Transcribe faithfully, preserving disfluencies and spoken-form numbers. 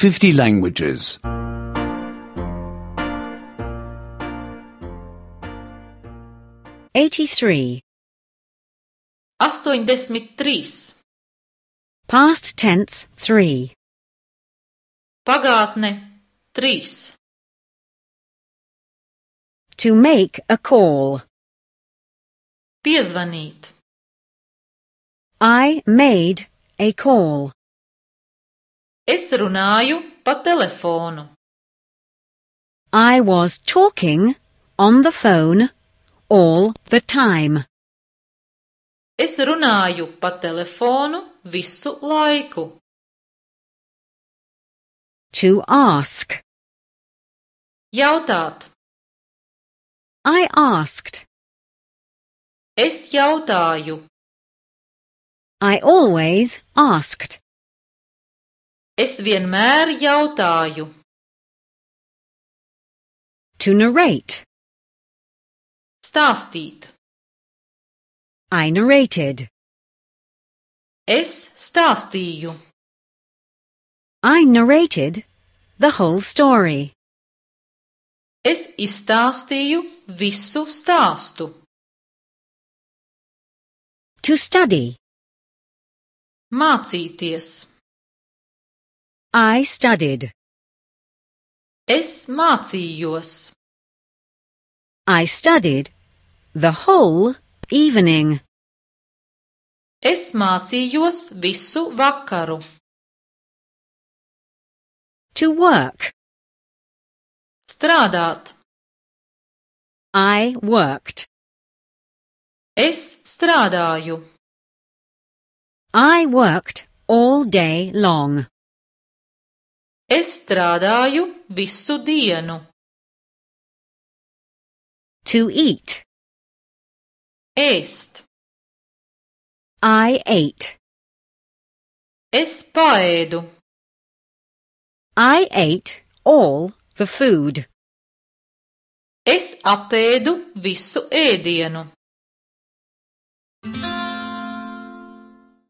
fifty languages. eighty-three. astoņdesmit trīs. Past tense three. Pagātne trīs. To make a call. Piezvanīt. I made a call. Es runāju pa telefonu. I was talking on the phone all the time. Es runāju pa telefonu visu laiku. To ask. Jautāt. I asked. Es jautāju. I always asked. Es vienmēr jautāju. To narrate. Stāstīt. I narrated. Es stāstīju. I narrated the whole story. Es izstāstīju visu stāstu. To study. Mācīties. I studied. Es mācījos. I studied the whole evening. Es mācījos visu vakaru. To work. Strādāt. I worked. Es strādāju. I worked all day long. Es strādāju visu dienu. To eat. Ēst. I ate. Es paēdu. I ate all the food. Es apēdu visu ēdienu.